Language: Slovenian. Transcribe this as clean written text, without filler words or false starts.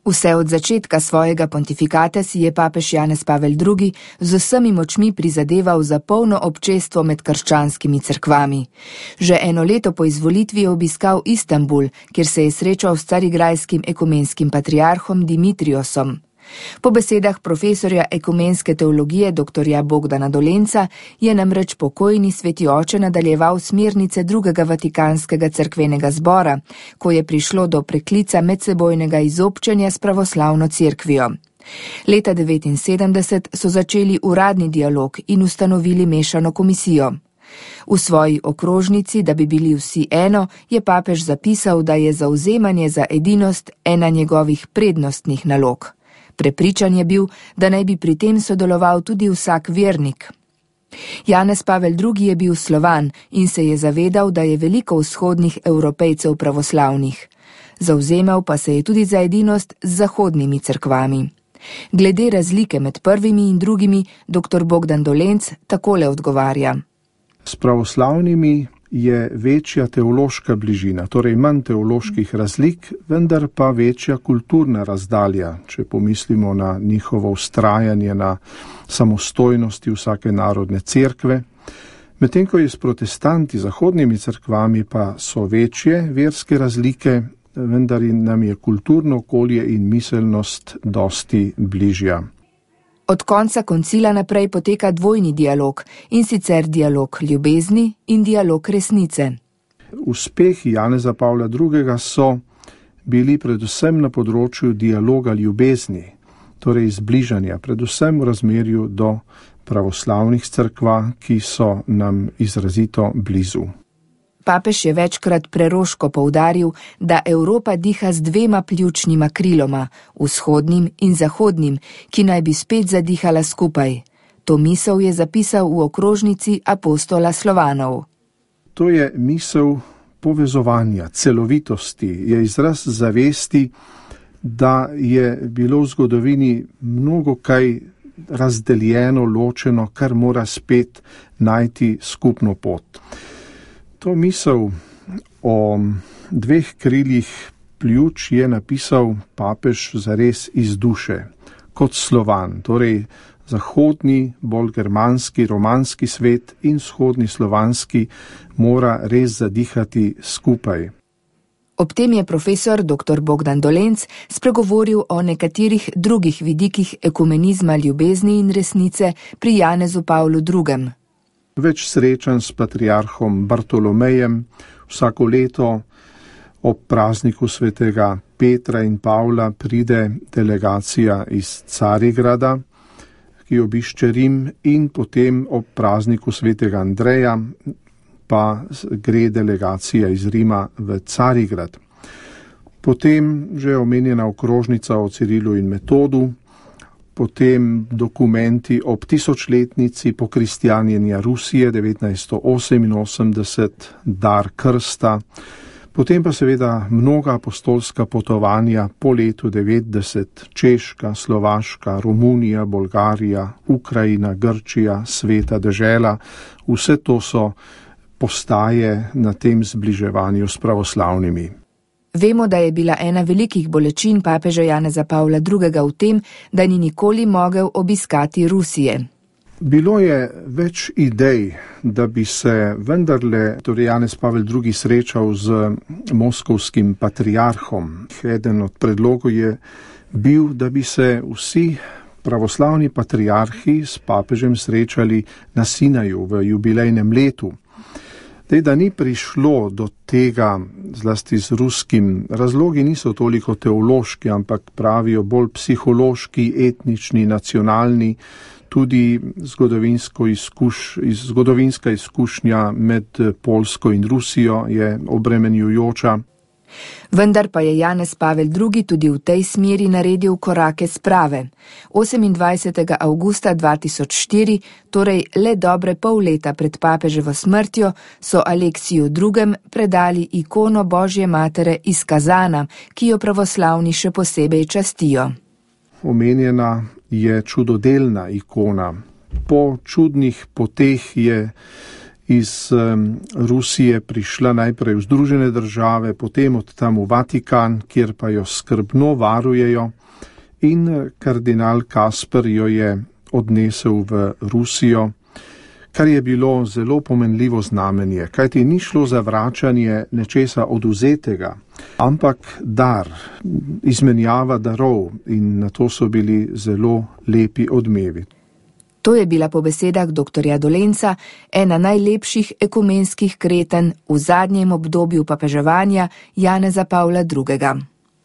Vse od začetka svojega pontifikata si je papež Janez Pavel II z vsemi močmi prizadeval za polno občestvo med krščanskimi cerkvami. Že 1 leto po izvolitvi je obiskal Istanbul, kjer se je srečal s carigrajskim ekumenskim patriarhom Dimitriosom. Po besedah profesorja ekumenske teologije dr. Bogdana Dolenca je namreč pokojni sveti oče nadaljeval smernice drugega vatikanskega cerkvenega zbora, ko je prišlo do preklica medsebojnega izobčenja s pravoslavno cerkvijo. Leta 1979 so začeli uradni dialog in ustanovili mešano komisijo. V svoji okrožnici, da bi bili vsi eno, je papež zapisal, da je zavzemanje za edinost ena njegovih prednostnih nalog. Prepričan je bil, da naj bi pri tem sodeloval tudi vsak vernik. Janez Pavel II je bil Slovan in se je zavedal, da je veliko vzhodnih Evropejcev pravoslavnih. Zavzemal pa se je tudi za edinost z zahodnimi cerkvami. Glede razlike med prvimi in drugimi, dr. Bogdan Dolenc takole odgovarja. S pravoslavnimi je večja teološka bližina, torej manj teoloških razlik, vendar pa večja kulturna razdalja, če pomislimo na njihovo vztrajanje na samostojnosti vsake narodne cerkve. Medtem ko je s protestanti, zahodnimi cerkvami, pa so večje verske razlike, vendar nam je kulturno okolje in miselnost dosti bližja. Od konca koncila naprej poteka dvojni dialog, in sicer dialog ljubezni in dialog resnice. Uspehi Janeza Pavla II. So bili predvsem na področju dialoga ljubezni, torej zbližanja, predvsem v razmerju do pravoslavnih cerkva, ki so nam izrazito blizu. Papež je večkrat preroško poudaril, da Evropa diha z 2 pljučnima kriloma, vzhodnim in zahodnim, ki naj bi spet zadihala skupaj. To misel je zapisal v okrožnici apostola Slovanov. To je misel povezovanja, celovitosti, je izraz zavesti, da je bilo v zgodovini mnogo kaj razdeljeno, ločeno, kar mora spet najti skupno pot. To misel o 2 krilih pljuč je napisal papež zares iz duše, kot Slovan, torej zahodni, bolj germanski, romanski svet in vzhodni slovanski mora res zadihati skupaj. Ob tem je profesor dr. Bogdan Dolenc spregovoril o nekaterih drugih vidikih ekumenizma ljubezni in resnice pri Janezu Pavlu II. Več srečanj s patriarhom Bartolomejem, vsako leto ob prazniku svetega Petra in Pavla pride delegacija iz Carigrada, ki obišče Rim, in potem ob prazniku svetega Andreja pa gre delegacija iz Rima v Carigrad. Potem že omenjena okrožnica o Cirilu in Metodu, potem dokumenti ob 1000-letnici pokristjanjenja Rusije 1988, dar krsta, potem pa seveda mnoga apostolska potovanja po letu 90, Češka, Slovaška, Romunija, Bolgarija, Ukrajina, Grčija, Sveta dežela, vse to so postaje na tem zbliževanju s pravoslavnimi. Vemo, da je bila ena velikih bolečin papeža Janeza Pavla II. V tem, da ni nikoli mogel obiskati Rusije. Bilo je več idej, da bi se vendarle Janez Pavel II. Srečal z moskovskim patriarhom. Eden od predlogov je bil, da bi se vsi pravoslavni patriarhi s papežem srečali na Sinaju v jubilejnem letu. Da ni prišlo do tega, zlasti z ruskim, razlogi niso toliko teološki, ampak pravijo bolj psihološki, etnični, nacionalni, tudi zgodovinska izkušnja med Poljsko in Rusijo je obremenjujoča. Vendar pa je Janez Pavel II. Tudi v tej smeri naredil korake sprave. 28. avgusta 2004, torej le dobre pol leta pred papeževo smrtjo, so Aleksiju II. Predali ikono Božje matere iz Kazana, ki jo pravoslavni še posebej častijo. Omenjena je čudodelna ikona. Po čudnih poteh je iz Rusije prišla najprej v Združene države, potem od tam v Vatikan, kjer pa jo skrbno varujejo, in kardinal Kasper jo je odnesel v Rusijo, kar je bilo zelo pomenljivo znamenje, kajti ni šlo za vračanje nečesa oduzetega, ampak dar, izmenjava darov, in na to so bili zelo lepi odmevi. To je bila po besedah dr. Dolenca ena najlepših ekumenskih kreten v zadnjem obdobju papeževanja Janeza Pavla II.